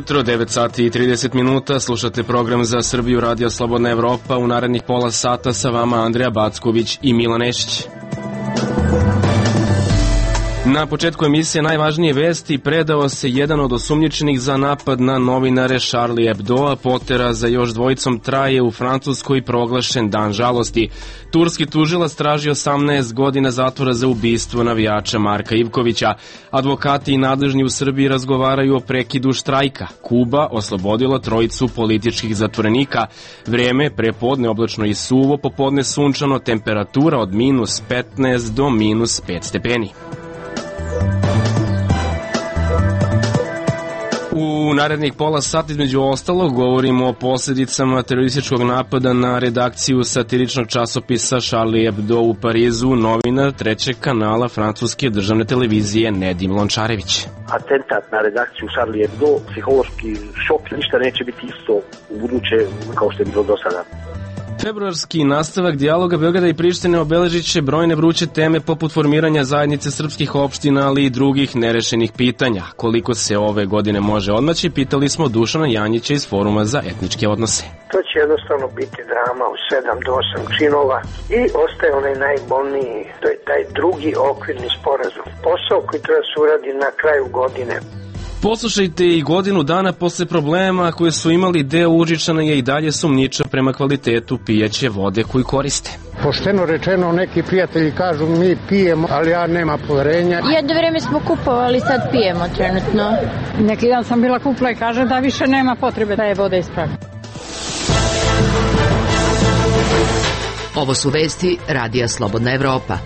Jutro, 9 sati i 30 minuta, slušate program za Srbiju Radio Slobodna Evropa. U narednih pola sata sa vama Andreja Backović i Milan Nešić. Na početku emisije najvažnije vesti: predao se jedan od osumnjičenih za napad na novinare Charlie Hebdoa, potera za još dvojicom traje, u Francuskoj proglašen dan žalosti. Turski tužilac traži 18 godina zatvora za ubistvo navijača Marka Ivkovića. Advokati i nadležni u Srbiji razgovaraju o prekidu štrajka. Kuba oslobodila trojicu političkih zatvorenika. Vreme prepodne oblačno i suvo, popodne sunčano, temperatura od minus 15 do minus 5 stepeni. U narednih pola sata između ostalog govorimo o posljedicama terorističkog napada na redakciju satiričnog časopisa Charlie Hebdo u Parizu. Novinar trećeg kanala francuske državne televizije Nedim Lončarević. Atentat na redakciju Charlie Hebdo, psihološki šok, ništa neće biti isto u buduće kao što je bilo do sada. Februarski nastavak dijaloga Beograda i Prištine obeležit će brojne vruće teme poput formiranja zajednice srpskih opština, ali i drugih nerešenih pitanja. Koliko se ove godine može odmaći, pitali smo Dušana Janjića iz Foruma za etničke odnose. To će jednostavno biti drama u 7 do 8 činova i ostaje onaj najbolniji, to je taj drugi okvirni sporazum. Posao koji treba se uradi na kraju godine. Poslušajte, i godinu dana posle problema koje su imali, deo Užičana je i dalje sumnjiča prema kvalitetu pijaće vode koju koriste. Pošteno rečeno, neki prijatelji kažu mi pijemo, ali ja nema poverenja. Jedno vreme smo kupovali, sad pijemo trenutno. Neki dan sam bila kupila i kaže da više nema potrebe da je voda ispravi. Ovo su vesti Radija Slobodna Evropa.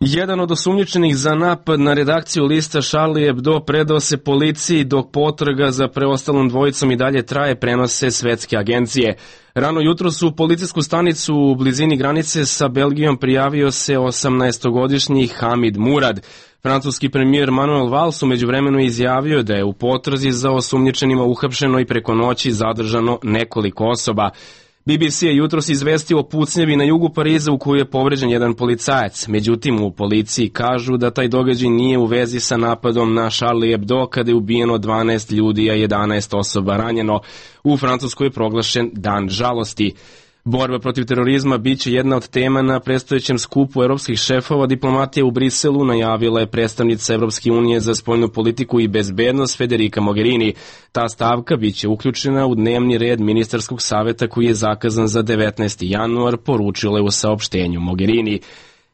Jedan od osumnjičenih za napad na redakciju lista Charlie Hebdo predao se policiji, dok potraga za preostalom dvojicom i dalje traje, prenose svetske agencije. Rano jutro su u policijsku stanicu u blizini granice sa Belgijom prijavio se 18-godišnji Hamid Murad. Francuski premijer Manuel Valls u međuvremenu izjavio da je u potrazi za osumnjičenima uhapšeno i preko noći zadržano nekoliko osoba. BBC je jutros izvestio o pucnjevi na jugu Pariza u kojoj je povređen jedan policajac. Međutim, u policiji kažu da taj događaj nije u vezi sa napadom na Charlie Hebdo, kada je ubijeno 12 ljudi, a 11 osoba ranjeno. U Francuskoj je proglašen dan žalosti. Borba protiv terorizma biće jedna od tema na predstojećem skupu evropskih šefova diplomatije u Briselu, najavila je predstavnica Evropske unije za spoljnu politiku i bezbednost Federica Mogherini. Ta stavka biće uključena u dnevni red ministarskog saveta koji je zakazan za 19. januar, poručila je u saopštenju Mogherini.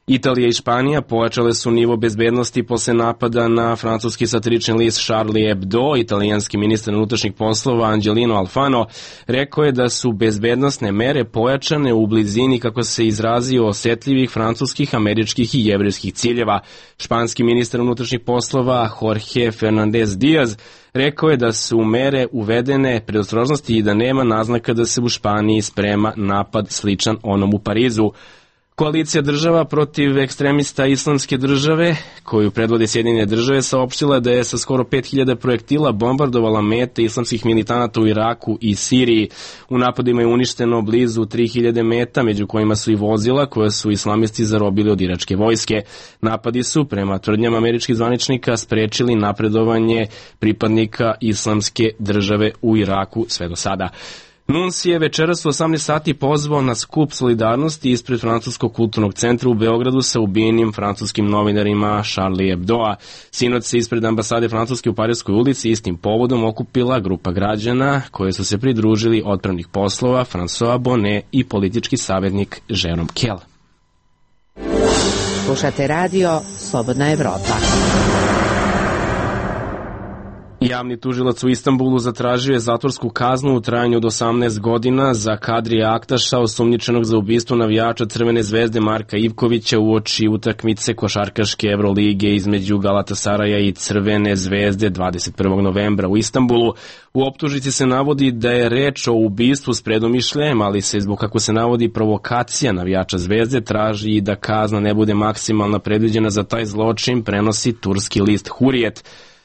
Italija i Španija pojačale su nivo bezbednosti posle napada na francuski satirični list Charlie Hebdo. Italijanski ministar unutrašnjih poslova Angelino Alfano rekao je da su bezbednosne mere pojačane u blizini, kako se izrazio, osetljivih francuskih, američkih i jevrejskih ciljeva. Španski ministar unutrašnjih poslova Jorge Fernandez Diaz rekao je da su mere uvedene predostrožnosti i da nema naznaka da se u Španiji sprema napad sličan onom u Parizu. Koalicija država protiv ekstremista Islamske države, koju predvode Sjedinjene države, saopštila da je sa skoro 5000 projektila bombardovala mete islamskih militanata u Iraku i Siriji. U napadima je uništeno blizu 3000 meta, među kojima su i vozila koja su islamisti zarobili od iračke vojske. Napadi su, prema tvrdnjama američkih zvaničnika, sprečili napredovanje pripadnika Islamske države u Iraku sve do sada. Nunsi je večeras u 18 sati pozvao na skup solidarnosti ispred Francuskog kulturnog centra u Beogradu sa ubijenim francuskim novinarima Charlie Hebdoa. Sinoć se ispred ambasade Francuske u Parijskoj ulici istim povodom okupila grupa građana koje su se pridružili odpravnih poslova François Bonnet i politički savjetnik Jérôme Kell. Slušate radio Slobodna Evropa. Javni tužilac u Istanbulu zatražio je zatvorsku kaznu u trajanju od 18 godina za Kadrija Aktaša, osumnjičenog za ubistvo navijača Crvene zvezde Marka Ivkovića uoči utakmice košarkaške Evrolige između Galatasaraja i Crvene zvezde 21. novembra u Istanbulu. U optužnici se navodi da je reč o ubistvu s predomišljajem, ali se zbog, kako se navodi, provokacija navijača zvezde traži i da kazna ne bude maksimalna predviđena za taj zločin, prenosi turski list Hurijet.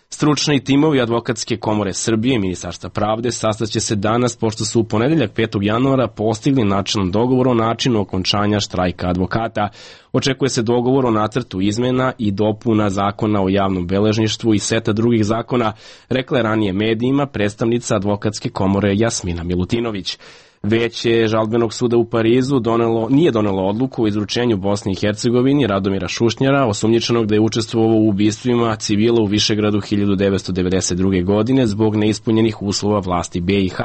Stručni timovi Advokatske komore Srbije i Ministarstva pravde sastaće se danas, pošto su u ponedeljak 5. januara postigli načelan dogovor o načinu okončanja štrajka advokata. Očekuje se dogovor o nacrtu izmena i dopuna zakona o javnom beležništvu i seta drugih zakona, rekla je ranije medijima predstavnica Advokatske komore Jasmina Milutinović. Veće žalbenog suda u Parizu nije donelo odluku o izručenju Bosni i Hercegovini Radomira Šušnjara, osumnjičenog da je učestvovao u ubistvima civila u Višegradu 1992. godine zbog neispunjenih uslova vlasti BiH.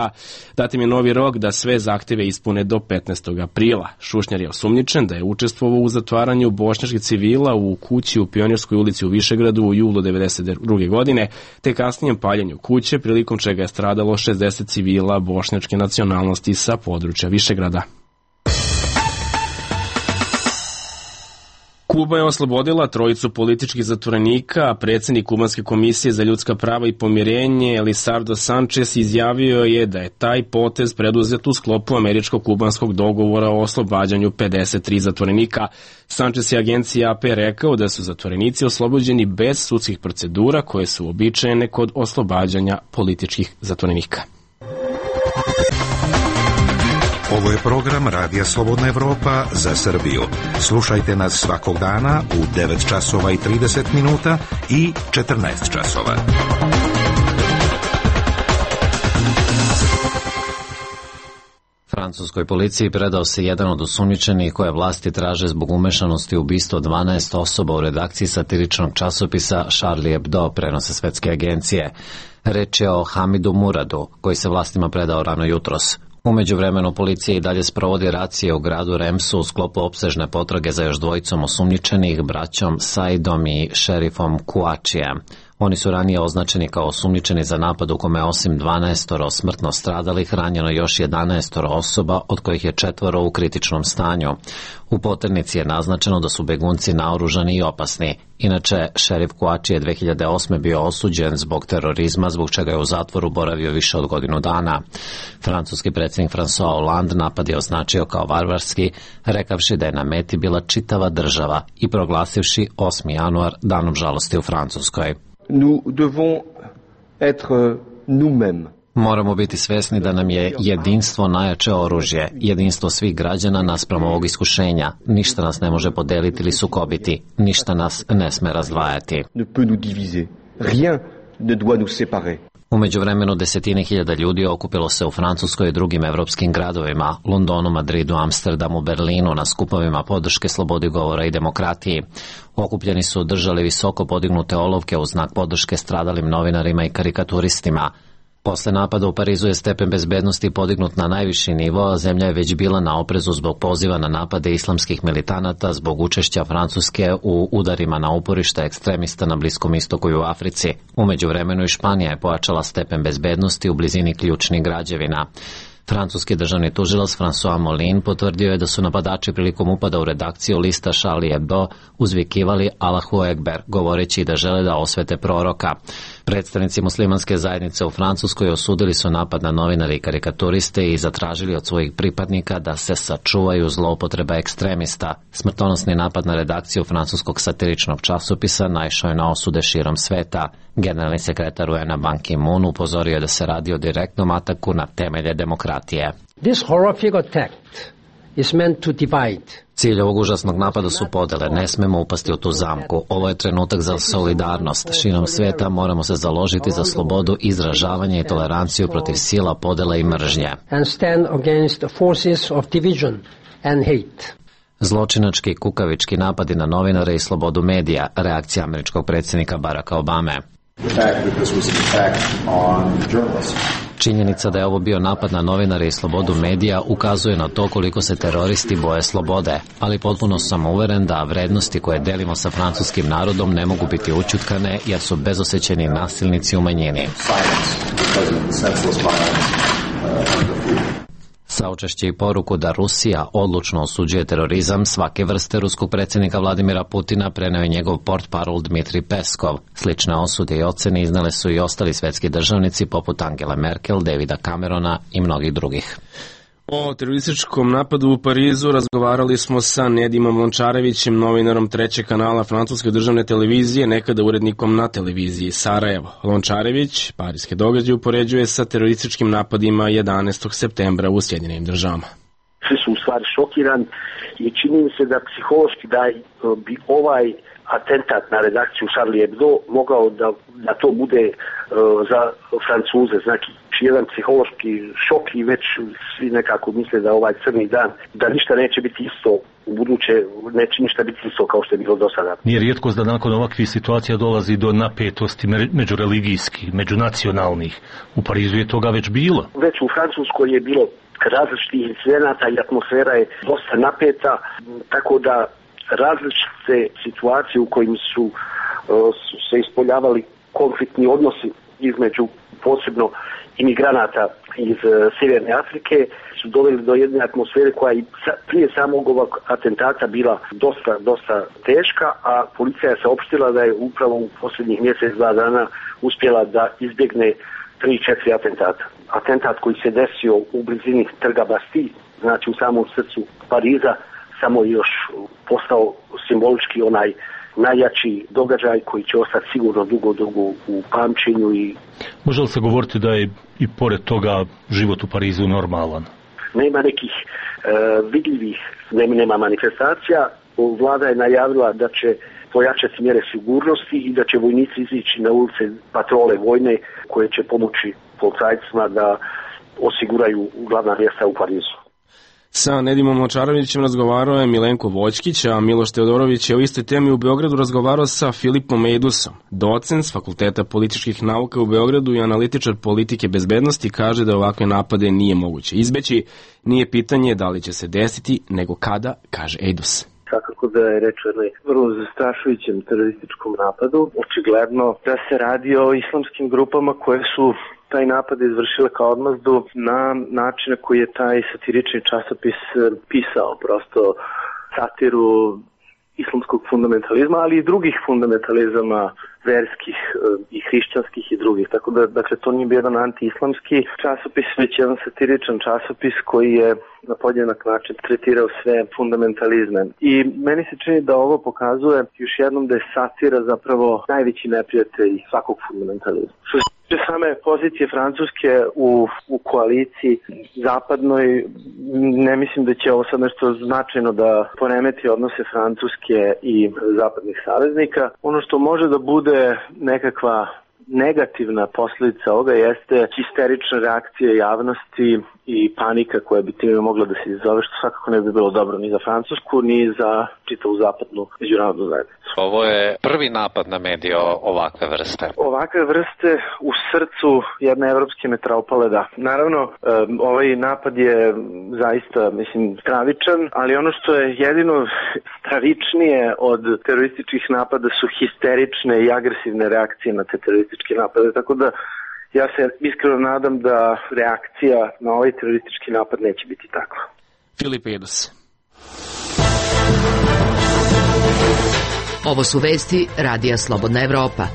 Datim je novi rok da sve zahteve ispune do 15. aprila. Šušnjar je osumnjičen da je učestvovao u zatvaranju bošnjačkih civila u kući u Pionirskoj ulici u Višegradu u julu 1992. godine, te kasnijem paljenju kuće, prilikom čega je stradalo 60 civila bošnjačke nacionalnosti sa područja Višegrada. Kuba je oslobodila trojicu političkih zatvorenika, a predsjednik Kubanske komisije za ljudska prava i pomirenje Elisardo Sanchez izjavio je da je taj potez preduzet u sklopu američko-kubanskog dogovora o oslobađanju 53 zatvorenika. Sanchez je agenciji AP rekao da su zatvorenici oslobođeni bez sudskih procedura koje su uobičajene kod oslobađanja političkih zatvorenika. Ovo je program Radija Slobodna Evropa za Srbiju. Slušajte nas svakog dana u 9 časova i 30 minuta i 14 časova. Francuskoj policiji predao se jedan od osumnjičenih koje vlasti traže zbog umešanosti u ubistvo 12 osoba u redakciji satiričnog časopisa Charlie Hebdo, prenose svetske agencije. Reč je o Hamidu Muradu, koji se vlastima predao rano jutros. U međuvremenu policija i dalje sprovodi racije u gradu Remsu u sklopu opsežne potrage za još dvojicom osumnjičenih, braćom Saidom i šerifom Kuačijem. Oni su ranije označeni kao osumnjičeni za napad u kome osim 12 smrtno stradalih ranjeno još 11 osoba, od kojih je 4 u kritičnom stanju. U poternici je naznačeno da su begunci naoružani i opasni. Inače, šerif Kuači je 2008. bio osuđen zbog terorizma, zbog čega je u zatvoru boravio više od godinu dana. Francuski predsjednik François Hollande napad je označio kao varvarski, rekavši da je na meti bila čitava država i proglasivši 8. januar danom žalosti u Francuskoj. Nous devons être nous-mêmes. Moramo biti svesni da nam je jedinstvo najjače oružje, jedinstvo svih građana naspram ovog iskušenja. Ništa nas ne može podeliti ili sukobiti, ništa nas ne sme razdvajati. Ne peut nous diviser. Rien ne doit nous séparer. U međuvremenu desetine hiljada ljudi okupilo se u Francuskoj i drugim evropskim gradovima, Londonu, Madridu, Amsterdamu, Berlinu, na skupovima podrške slobodi govora i demokratiji. Okupljeni su držali visoko podignute olovke u znak podrške stradalim novinarima i karikaturistima. Posle napada u Parizu je stepen bezbednosti podignut na najviši nivo, a zemlja je već bila na oprezu zbog poziva na napade islamskih militanata zbog učešća Francuske u udarima na uporišta ekstremista na Bliskom istoku i u Africi. U međuvremenu i Španija je pojačala stepen bezbednosti u blizini ključnih građevina. Francuski državni tužilac François Molin potvrdio je da su napadači prilikom upada u redakciju lista Charlie Hebdo uzvikivali Allahu Ekber, govoreći da žele da osvete proroka. Predstavnici muslimanske zajednice u Francuskoj osudili su napad na novinare i karikaturiste i zatražili od svojih pripadnika da se sačuvaju zloupotreba ekstremista. Smrtonosni napad na redakciju francuskog satiričnog časopisa naišao je na osude širom sveta. Generalni sekretar UN-a Ban Ki-moon upozorio da se radi o direktnom ataku na temelje demokratije. This horrific attack is meant to divide. Cilj ovog užasnog napada su podele, ne smemo upasti u tu zamku. Ovo je trenutak za solidarnost. Širom sveta moramo se založiti za slobodu, izražavanje i toleranciju protiv sila, podela i mržnje. And stand against the forces of division and hate. Zločinački i kukavički napadi na novinare i slobodu medija, reakcija američkog predsjednika Baracka Obame. Činjenica da je ovo bio napad na novinare i slobodu medija ukazuje na to koliko se teroristi boje slobode, ali potpuno sam uveren da vrednosti koje delimo sa francuskim narodom ne mogu biti ućutkane jer su bezosećeni nasilnici u manjini. Saučešće i poruku da Rusija odlučno osuđuje terorizam svake vrste ruskog predsjednika Vladimira Putina preneo je njegov portparol Dmitri Peskov. Slične osude i ocene iznale su i ostali svetski državnici poput Angele Merkel, Davida Camerona i mnogih drugih. O terorističkom napadu u Parizu razgovarali smo sa Nedimom Lončarevićem, novinarom trećeg kanala francuske državne televizije, nekada urednikom na televiziji Sarajevo. Lončarević parijske događaje upoređuje sa terorističkim napadima 11. septembra u Sjedinjenim državama. Svi su u stvari šokirani i čini mi se da psihološki da bi ovaj atentat na redakciju Charlie Hebdo mogao da to bude za Francuze, znači jedan psihološki šok i već svi nekako misle da ovaj crni dan, da ništa neće biti isto u buduće, neće ništa biti isto kao što je bilo do sada. Nije rijetkost da nakon ovakvih situacija dolazi do napetosti međureligijskih, međunacionalnih. U Parizu je toga već bilo. Već u Francuskoj je bilo različitih incidenata i atmosfera je dosta napeta, tako da različite situacije u kojim su se ispoljavali konfliktni odnosi između posebno imigranata iz Sjeverne Afrike su doveli do jedne atmosfere koja je prije samog ovog atentata bila dosta teška, a policija je saopštila da je upravo u posljednjih mjesec, 2 dana uspjela da izbjegne 3-4 atentata. Atentat koji se desio u blizini trga Bastille, znači u samom srcu Pariza, samo još postao simbolički onaj najjači događaj koji će ostati sigurno dugo u pamćenju. I može li se govoriti da je i pored toga život u Parizu normalan? Nema nekih vidljivih, nema manifestacija. Vlada je najavila da će pojačati mjere sigurnosti i da će vojnici izići na ulice patrole vojne koje će pomoći policajcima da osiguraju glavna mjesta u Parizu. Sa Nedimom Lončarevićem razgovarao je Milenko Voćkić, a Miloš Teodorović je o istoj temi u Beogradu razgovarao sa Filipom Eidusom. Docent s Fakulteta političkih nauka u Beogradu i analitičar politike bezbednosti kaže da ovakve napade nije moguće izbeći. Nije pitanje da li će se desiti, nego kada, kaže Eidus. Svakako da je reč o jednoj vrlo zastrašujućem terorističkom napadu. Očigledno da se radi o islamskim grupama koje su taj napad izvršile kao odmazdu na način koji je taj satirični časopis pisao, prosto satiru islamskog fundamentalizma, ali i drugih fundamentalizama verskih i hrišćanskih i drugih. Tako da, dakle, to nije bio jedan anti-islamski časopis, već jedan satiričan časopis koji je na podjednak način tretirao sve fundamentalizme. I meni se čini da ovo pokazuje još jednom da je satira zapravo najveći neprijatelj svakog fundamentalizma. Same pozicije Francuske u koaliciji zapadnoj, ne mislim da će ovo sad nešto značajno da poremeti odnose Francuske i zapadnih saveznika. Ono što može da bude nekakva negativna posljedica ovoga jeste histerična reakcija javnosti i panika koja bi time mogla da se izazove, što svakako ne bi bilo dobro ni za Francusku, ni za čitavu zapadnu međunarodnu zajednicu. Ovo je prvi napad na medije ovakve vrste. Ovakve vrste u srcu jedne evropske metropole, da. Naravno, ovaj napad je zaista, stravičan, ali ono što je jedino stravičnije od terorističkih napada su histerične i agresivne reakcije na te terorističke napade, tako da ja se iskreno nadam da reakcija na ovaj teroristički napad neće biti takva. Filip Eidus. Ovo su vesti Radija Slobodna Evropa.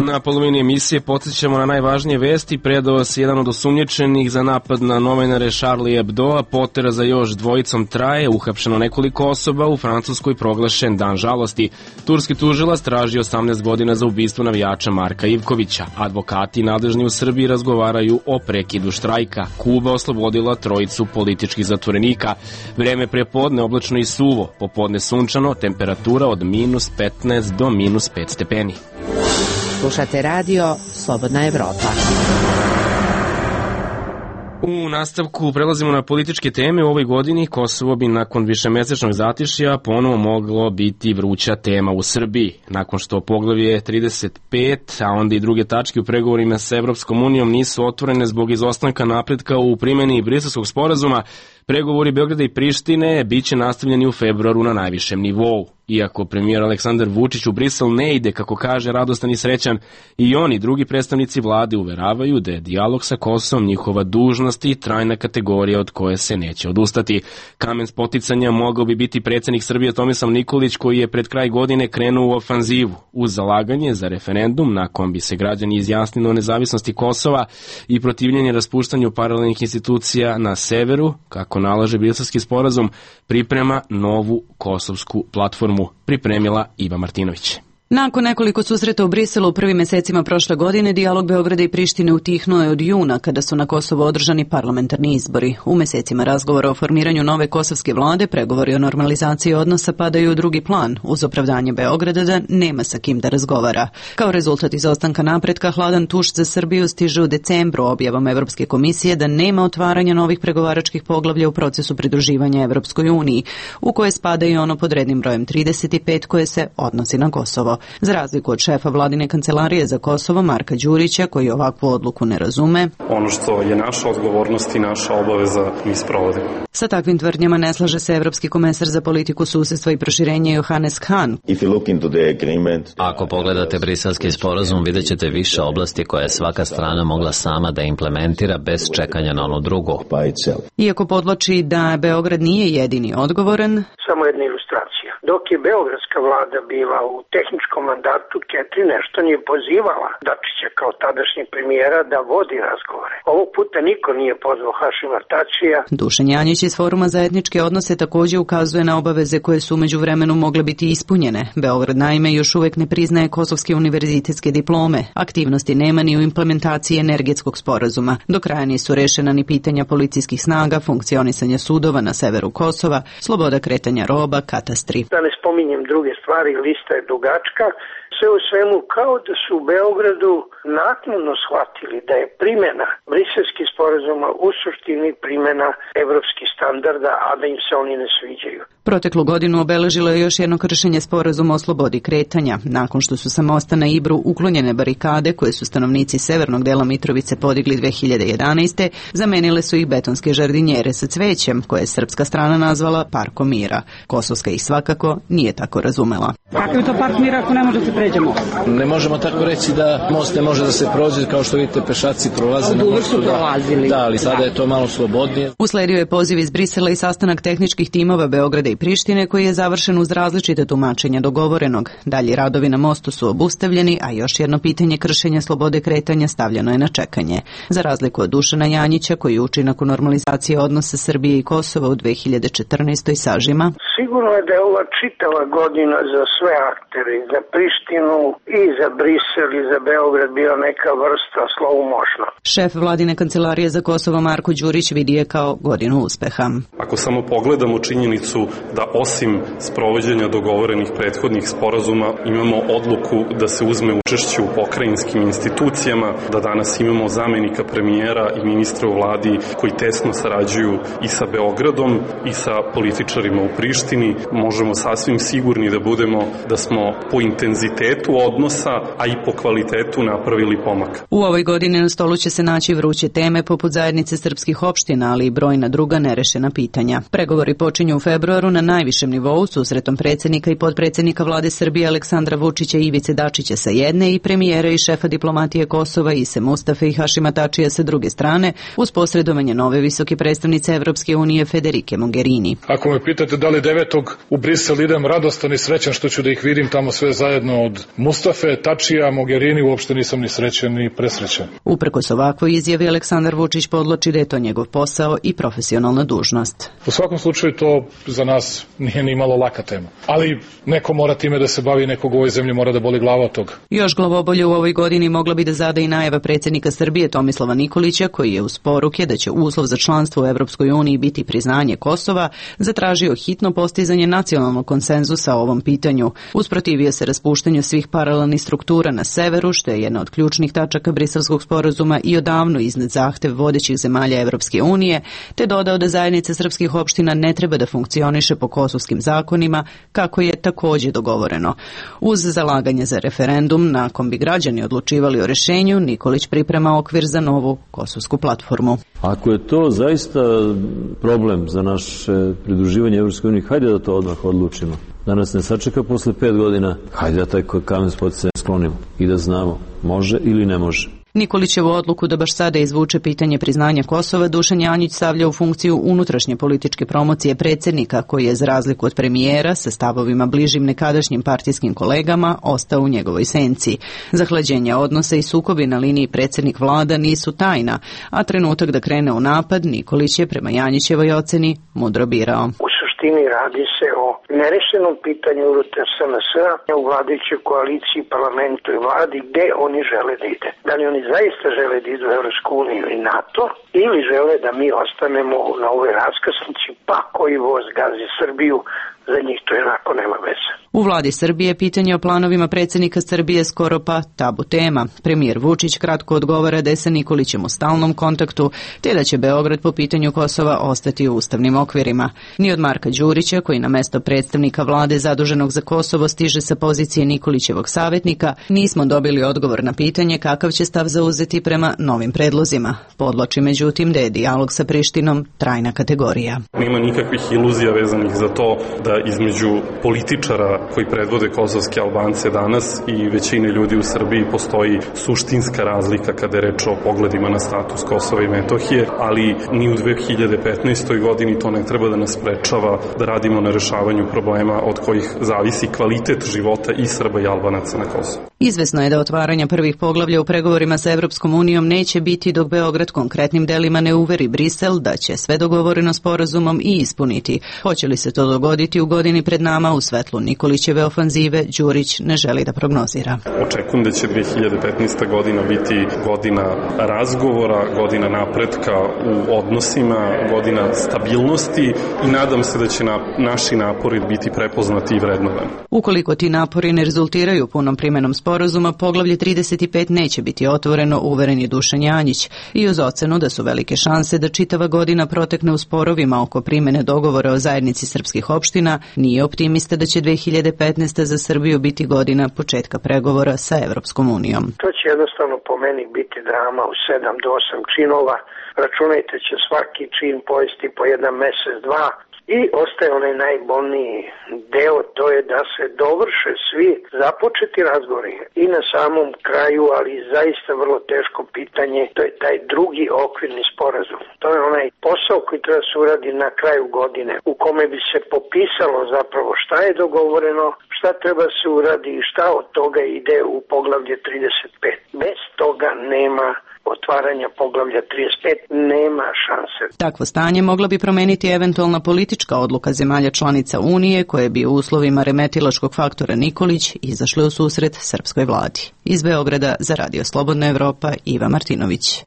Na polovini emisije podsjećamo na najvažnije vesti. Predao se jedan od osumnjičenih za napad na novinare Charlie Hebdo, a potera za još dvojicom traje, uhapšeno nekoliko osoba, u Francuskoj proglašen dan žalosti. Turski tužilac traži 18 godina za ubistvo navijača Marka Ivkovića. Advokati nadležni u Srbiji razgovaraju o prekidu štrajka. Kuba oslobodila trojicu političkih zatvorenika. Vreme prepodne oblačno i suvo, popodne sunčano, temperatura od -15 do -5 stepeni. Slušate radio Slobodna Evropa. U nastavku prelazimo na političke teme. U ovoj godini Kosovo bi nakon višemesečnog zatišja ponovo moglo biti vruća tema u Srbiji. Nakon što poglavlje 35, a onda i druge tačke u pregovorima sa Evropskom unijom nisu otvorene zbog izostanka napretka u primjeni Briselskog sporazuma, pregovori Beograda i Prištine biće nastavljeni u februaru na najvišem nivou. Iako premijer Aleksandar Vučić u Brisel ne ide, kako kaže, radostan i srećan, i oni, drugi predstavnici vlade, uveravaju da je dijalog sa Kosovom njihova dužnost i trajna kategorija od koje se neće odustati. Kamen spoticanja mogao bi biti predsjednik Srbije Tomislav Nikolić, koji je pred kraj godine krenuo u ofanzivu uz zalaganje za referendum na kom bi se građani izjasnili o nezavisnosti Kosova i protivljenje raspuštanju paralelnih institucija na severu, kako nalaže Briselski sporazum, priprema novu kosovsku platformu. Pripremila Iva Martinović. Nakon nekoliko susreta u Briselu u prvim mesecima prošle godine, dijalog Beograda i Prištine utihnuo je od juna, kada su na Kosovo održani parlamentarni izbori. U mesecima razgovora o formiranju nove kosovske vlade, pregovori o normalizaciji odnosa padaju u drugi plan, uz opravdanje Beograda da nema sa kim da razgovara. Kao rezultat izostanka napretka, hladan tuš za Srbiju stiže u decembru objavom Evropske komisije da nema otvaranja novih pregovaračkih poglavlja u procesu pridruživanja Evropskoj uniji, u koje spada i ono pod rednim brojem 35 koje se odnosi na Kosovo. Za razliku od šefa vladine kancelarije za Kosovo, Marka Đurića, koji ovakvu odluku ne razume. Ono što je naša odgovornost i naša obaveza mi sprovodimo. Sa takvim tvrdnjama ne slaže se evropski komesar za politiku susedstva i proširenje Johannes Hahn. Ako pogledate briselski sporazum, vidjet ćete više oblasti koje je svaka strana mogla sama da implementira bez čekanja na onu drugu. Iako podvlači da Beograd nije jedini odgovoran, samo jedna ilustracija. Dok je beogradska vlada bila u tehničkom mandatu, Ketri nešto nije pozivala Dačića kao tadašnjeg premijera da vodi razgovore. Ovog puta niko nije pozvao Hašima Tačija. Dušan Janjić iz Foruma za etničke odnose također ukazuje na obaveze koje su umeđu vremenu mogle biti ispunjene. Beograd naime još uvek ne priznaje kosovske univerzitetske diplome. Aktivnosti nema ni u implementaciji energetskog sporazuma. Do kraja nisu rešena ni pitanja policijskih snaga, funkcionisanja sudova na severu Kosova, sloboda kretanja roba, katastri. Da ne spominjem druge stvari, lista je dugačka. Sve u svemu kao da su u Beogradu naknadno shvatili da je primjena briselskih sporazuma u suštini primjena evropskih standarda, a da im se oni ne sviđaju. Proteklu godinu obeležilo je još jedno kršenje sporazuma o slobodi kretanja. Nakon što su sa mosta na Ibru uklonjene barikade koje su stanovnici severnog dela Mitrovice podigli 2011. zamenile su ih betonske žardinjere sa cvećem, koje je srpska strana nazvala Parkom mira. Kosovska ih svakako nije tako razumela. Kakav je to Park mira ako ne može da se pređe most? Ne možemo tako reći da most ne može da se prođe, kao što vidite pešaci prolaze na mostu. Da, ali sada je to malo slobodnije. Usledio je poziv iz Brisela i sastanak tehničkih timova Beograda i Prištine koji je završen uz različite tumačenja dogovorenog. Dalji radovi na mostu su obustavljeni, a još jedno pitanje kršenja slobode kretanja stavljeno je na čekanje. Za razliku od Dušana Janjića, koji uči nakon normalizacije odnosa Srbije i Kosova u 2014. sažima. Sigurno je da je ova čitava godina za sve aktere, za Prištinu i za Brisel i za Beograd bila neka vrsta slow motiona. Šef vladine kancelarije za Kosovo Marko Đurić vidi je kao godinu uspeha. Ako samo pogledamo činjenicu da osim sprovođenja dogovorenih prethodnih sporazuma imamo odluku da se uzme učešće u pokrajinskim institucijama, da danas imamo zamenika premijera i ministra u vladi koji tesno sarađuju i sa Beogradom i sa političarima u Prištini, možemo sasvim sigurni da budemo da smo po intenzitetu odnosa, a i po kvalitetu napravili pomak. U ovoj godini na stolu će se naći vruće teme poput zajednice srpskih opština, ali i brojna druga nerešena pitanja. Pregovori počinju u februaru na najvišem nivou susretom predsjednika i potpredsjednika vlade Srbije Aleksandra Vučića i Ivice Dačića sa jedne i premijera i šefa diplomatije Kosova Ise Mustafe i Hašima Tačija sa druge strane, uz posredovanje nove visoke predstavnice Evropske unije Federike Mogherini. Ako me pitate da li 9. u Brisel idem radostan i srećan što ću da ih vidim tamo sve zajedno od Mustafe, Tačija, Mogherini, uopšte nisam ni srećan ni presrećan. Uprkos ovakvoj izjavi Aleksandar Vučić podloči da je to njegov posao i profesionalna dužnost. U svakom slučaju to za nas nije ni malo laka tema. Ali neko mora time da se bavi, nekog u ovoj zemlji mora da boli glava od toga. Još glavobolje u ovoj godini mogla bi da zada i najava predsjednika Srbije Tomislava Nikolića, koji je uz poruke da će uslov za članstvo u Evropskoj uniji biti priznanje Kosova, zatražio hitno postizanje nacionalnog konsenzusa o ovom pitanju. Usprotivio se raspuštanju svih paralelnih struktura na severu, što je jedna od ključnih tačaka briselskog sporazuma i odavno iznad zahtev vodećih zemalja Evropske unije, te dodao da zajednica srpskih opština ne treba da funkcioniše po kosovskim zakonima, kako je također dogovoreno. Uz zalaganje za referendum, na kom bi građani odlučivali o rješenju, Nikolić priprema okvir za novu kosovsku platformu. Ako je to zaista problem za naše pridruživanje Evropskoj uniji, hajde da to odmah odlučimo. Da nas ne sačeka posle 5 godina, hajde da taj kamen spoticaja sklonimo i da znamo može ili ne može. Nikolićevu odluku da baš sada izvuče pitanje priznanja Kosova Dušan Janjić stavlja u funkciju unutrašnje političke promocije predsjednika, koji je za razliku od premijera sa stavovima bližim nekadašnjim partijskim kolegama ostao u njegovoj senci. Zahlađenja odnosa i sukobi na liniji predsjednik vlada nisu tajna, a trenutak da krene u napad Nikolić je prema Janjićevoj oceni mudro birao. Radi se o nerešenom pitanju unutar SNS-a u vladajućoj koaliciji, parlamentu i vladi, gde oni žele da ide. Da li oni zaista žele da idu u Evropsku uniju i NATO, ili žele da mi ostanemo na ovoj raskrsnici, pa koji voz gazi Srbiju, za njih to jednako nema veze. U vladi Srbije pitanje o planovima predsjednika Srbije skoro pa tabu tema. Premijer Vučić kratko odgovara da je sa Nikolićem u stalnom kontaktu, te da će Beograd po pitanju Kosova ostati u ustavnim okvirima. Ni od Marka Đurića, koji na mesto predstavnika vlade zaduženog za Kosovo stiže sa pozicije Nikolićevog savjetnika, nismo dobili odgovor na pitanje kakav će stav zauzeti prema novim predlozima. Podloči međutim da je dijalog sa Prištinom trajna kategorija. Nema nikakvih iluzija vezanih za to da između političara koji predvode kosovske Albance danas i većine ljudi u Srbiji postoji suštinska razlika kada je reč o pogledima na status Kosova i Metohije, ali ni u 2015. godini to ne treba da nas sprečava da radimo na rešavanju problema od kojih zavisi kvalitet života i Srba i Albanaca na Kosovu. Izvesno je da otvaranja prvih poglavlja u pregovorima sa Evropskom unijom neće biti dok Beograd konkretnim delima ne uveri Brisel da će sve dogovoreno sporazumom i ispuniti. Hoće li se to dogoditi u godini pred nama u svetlu Nikolićeve ofanzive, Đurić ne želi da prognozira. Očekujem da će 2015. godina biti godina razgovora, godina napretka u odnosima, godina stabilnosti i nadam se da će naši napori biti prepoznati i vrednovani. Ukoliko ti napori ne rezultiraju punom primenom sporazuma, poglavlje 35 neće biti otvoreno, uveren je Dušan Janjić, i uz ocenu da su velike šanse da čitava godina protekne u sporovima oko primene dogovora o zajednici srpskih opština, nije optimista da će 2015. za Srbiju biti godina početka pregovora sa Evropskom unijom. To će jednostavno po meni biti drama u 7 do 8 činova. Računajte će svaki čin pojesti po jedan mesec, dva. I ostaje onaj najbolniji deo, to je da se dovrše svi započeti razgovori i na samom kraju, ali zaista vrlo teško pitanje, to je taj drugi okvirni sporazum. To je onaj posao koji treba se uradi na kraju godine, u kome bi se popisalo zapravo šta je dogovoreno, šta treba se uradi i šta od toga ide u poglavlje 35. Bez toga nema otvaranja poglavlja 35, nema šanse. Takvo stanje mogla bi promeniti eventualna politička odluka zemalja članica Unije, koje bi u uslovima remetilačkog faktora Nikolić izašle u susret srpskoj vladi. Iz Beograda za Radio Slobodna Evropa, Iva Martinović.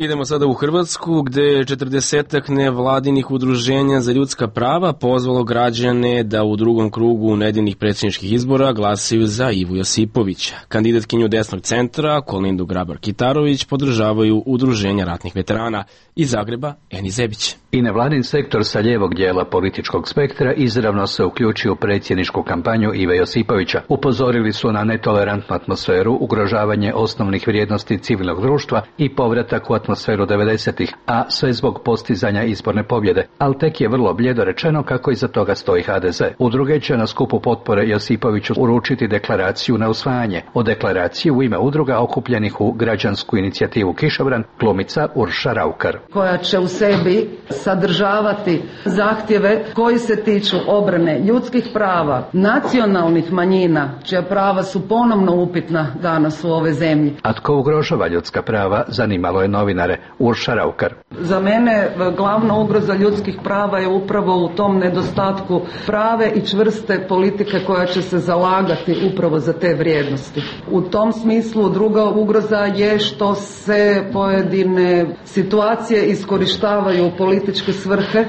Idemo sada u Hrvatsku, gde je 40 nevladinih udruženja za ljudska prava pozvalo građane da u drugom krugu nedeljnih predsjedničkih izbora glasaju za Ivu Josipovića. Kandidatkinju desnog centra, Kolindu Grabar-Kitarović, podržavaju udruženja ratnih veterana. Iz Zagreba, Eni Zebić. I nevladin sektor sa lijevog dijela političkog spektra izravno se uključio u predsjedničku kampanju Ive Josipovića. Upozorili su na netolerantnu atmosferu, ugrožavanje osnovnih vrijednosti civilnog društva i povratak u atmosferu 90-ih, a sve zbog postizanja izborne pobjede. Ali tek je vrlo bljedo rečeno kako iza toga stoji HDZ. Udruge će na skupu potpore Josipoviću uručiti deklaraciju na usvajanje. O deklaraciji u ime udruga okupljenih u građansku inicijativu Kišobran glumica Urša Raukar. Koja će u sebi sadržavati zahtjeve koji se tiču obrane ljudskih prava, nacionalnih manjina, čija prava su ponovno upitna danas u ovoj zemlji. A tko ugrožava ljudska prava, zanimalo je novinare. Urša Raukar. Za mene glavna ugroza ljudskih prava je upravo u tom nedostatku prave i čvrste politike koja će se zalagati upravo za te vrijednosti. U tom smislu druga ugroza je što se pojedine situacije iskorištavaju u političke svrhe,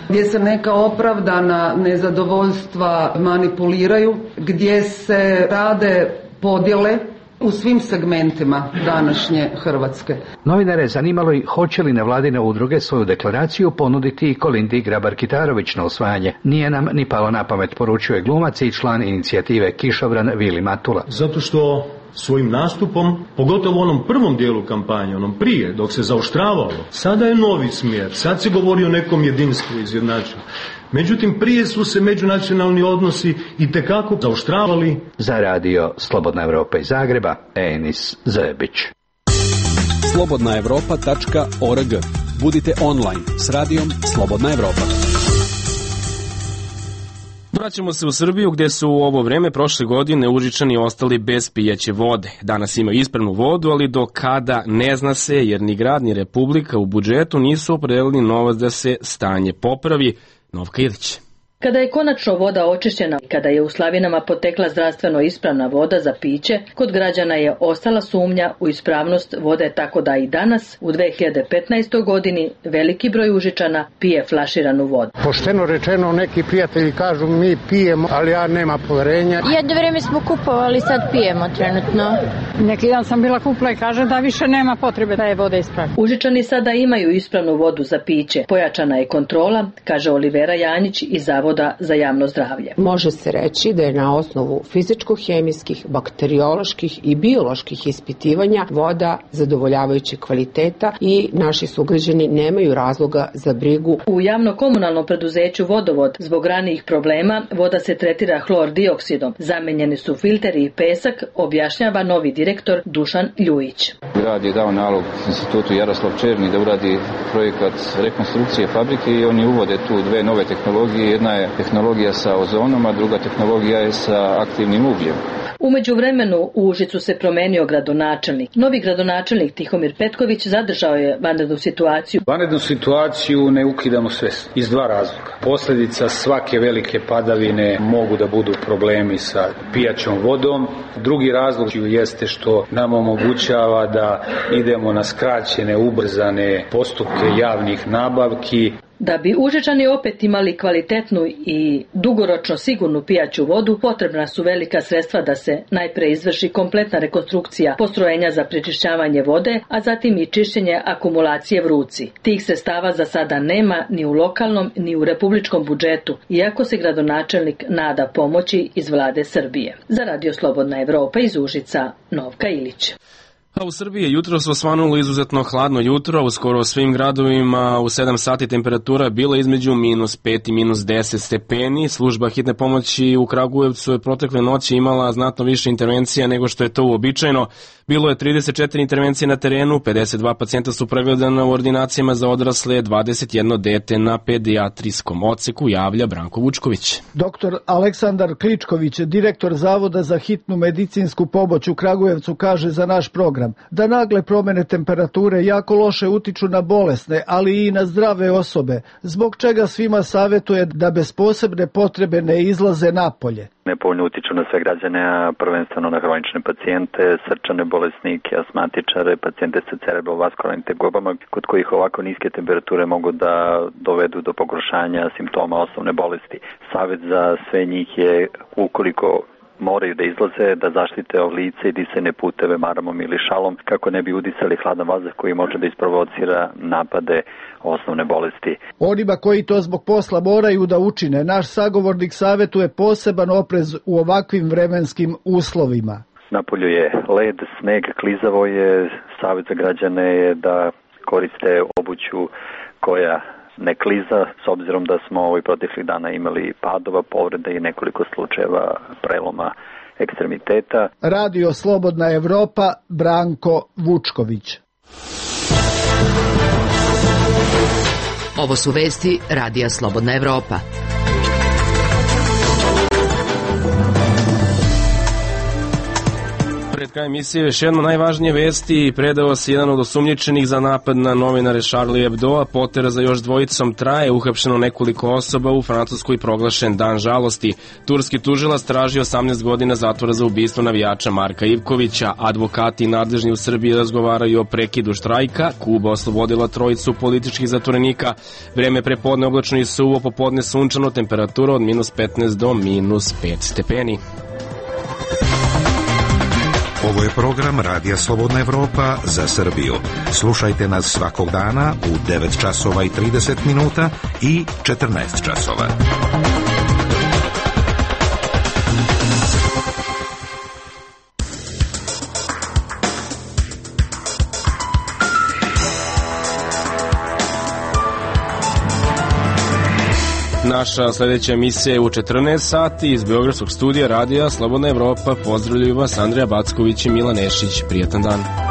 gdje se neka opravdana nezadovoljstva manipuliraju, gdje se rade podjele u svim segmentima današnje Hrvatske. Novinare zanimalo i hoće li nevladine udruge svoju deklaraciju ponuditi i Kolindi Grabar-Kitarović na usvajanje. Nije nam ni palo na pamet, poručuje glumac i član inicijative Kišobran Vili Matula. Zato što svojim nastupom, pogotovo u onom prvom dijelu kampanje, onom prije, dok se zaoštravalo, sada je novi smjer, sad se govori o nekom jedinstvu izjednačenju. Međutim, prije su se međunacionalni odnosi itekako zaoštravali. Za radio Slobodna Evropa iz Zagreba, Enis Zebić. slobodnaevropa.org. Budite online s radijom Slobodna Evropa. Vraćamo se u Srbiju gdje su u ovo vreme prošle godine Užičani ostali bez pijaće vode. Danas imaju ispravnu vodu, ali do kada ne zna se jer ni grad ni Republika u budžetu nisu opredelili novac da se stanje popravi. Novka Ilić. Kada je konačno voda očišćena i kada je u slavinama potekla zdravstveno ispravna voda za piće, kod građana je ostala sumnja u ispravnost vode, tako da i danas, u 2015. godini, veliki broj Užičana pije flaširanu vodu. Pošteno rečeno, neki prijatelji kažu mi pijemo, ali ja nema poverenja. Jedno vrijeme smo kupovali, sad pijemo trenutno. Neki dan sam bila kupila i kaže da više nema potrebe da je voda ispravna. Užičani sada imaju ispravnu vodu za piće. Pojačana je kontrola, kaže Olivera Janjić iz Zavoda za javno zdravlje. Može se reći da je na osnovu fizičko-hemijskih, bakterioloških i bioloških ispitivanja voda zadovoljavajućeg kvaliteta i naši sugrađani nemaju razloga za brigu. U javno-komunalnom preduzeću Vodovod zbog ranijih problema voda se tretira hlor-dioksidom. Zamenjeni su filteri i pesak, objašnjava novi direktor Dušan Ljujić. Grad je dao nalog institutu Jaroslav Černi da uradi projekat rekonstrukcije fabrike i oni uvode tu dve nove tehnologije. Jedna je tehnologija sa ozonom, a druga tehnologija je sa aktivnim ugljem. U međuvremenu u Užicu se promenio gradonačelnik. Novi gradonačelnik Tihomir Petković zadržao je vanrednu situaciju. Vanrednu situaciju ne ukidamo sve iz dva razloga. Posljedica svake velike padavine mogu da budu problemi sa pijaćom vodom. Drugi razlog jeste što nam omogućava da idemo na skraćene, ubrzane postupke javnih nabavki. Da bi Užičani opet imali kvalitetnu i dugoročno sigurnu pijaću vodu, potrebna su velika sredstva da se najpre izvrši kompletna rekonstrukcija postrojenja za prečišćavanje vode, a zatim i čišćenje akumulacije Vruci. Tih sredstava za sada nema ni u lokalnom ni u republičkom budžetu, iako se gradonačelnik nada pomoći iz vlade Srbije. Za Radio Slobodna Evropa iz Užica, Novka Ilić. A u Srbiji je jutros osvanulo izuzetno hladno jutro, u skoro svim gradovima u 7 sati temperatura bila između -5 i -10 stepeni. Služba hitne pomoći u Kragujevcu je protekle noći imala znatno više intervencija nego što je to uobičajeno. Bilo je 34 intervencije na terenu, 52 pacijenta su pregledana u ordinacijama za odrasle, 21 dete na pedijatrijskom odseku, javlja Branko Vučković. Doktor Aleksandar Kličković, direktor Zavoda za hitnu medicinsku pomoć u Kragujevcu, kaže za naš program da nagle promene temperature jako loše utiču na bolesne, ali i na zdrave osobe, zbog čega svima savjetuje da bez posebne potrebe ne izlaze napolje. Nepovoljno utiču na sve građane, a prvenstveno na hronične pacijente, srčane bolesnike, asmatičare, pacijente sa cerebrovaskularnim tegobama, kod kojih ovako niske temperature mogu da dovedu do pogoršanja simptoma osnovne bolesti. Savjet za sve njih je, ukoliko moraju da izlaze, da zaštite lice i disajne puteve maramom ili šalom kako ne bi udisali hladan vazduh koji može da isprovocira napade osnovne bolesti. Onima koji to zbog posla moraju da učine, naš sagovornik savjetuje poseban oprez u ovakvim vremenskim uslovima. Napolju je led, sneg, klizavo je. Savjet za građane je da koriste obuću koja ne kliza, s obzirom da smo ovih proteklih dana imali padova, povrede i nekoliko slučajeva preloma ekstremiteta. Radio Slobodna Evropa, Branko Vučković. Ovo su vesti Radija Slobodna Evropa. Pred krajem emisije još jedno najvažnije vesti. Predao se jedan od osumnjičenih za napad na novinare Charlie Hebdo, potera za još dvojicom traje, uhapšeno nekoliko osoba, u Francuskoj proglašen dan žalosti. Turski tužilac traži 18 godina zatvora za ubistvo navijača Marka Ivkovića. Advokati nadležni u Srbiji razgovaraju o prekidu štrajka. Kuba oslobodila trojicu političkih zatvorenika. Vreme prepodne oblačno i suvo, popodne sunčano, temperatura od -15 do -5 stepeni. Ovo je program Radija Slobodna Evropa za Srbiju. Slušajte nas svakog dana u 9 časova i 30 minuta i 14 časova. Naša sljedeća emisija je u 14 sati iz Beogradskog studija Radija Slobodna Evropa. Pozdravljaju vas Andrija Backović i Milan Nešić. Prijatan dan.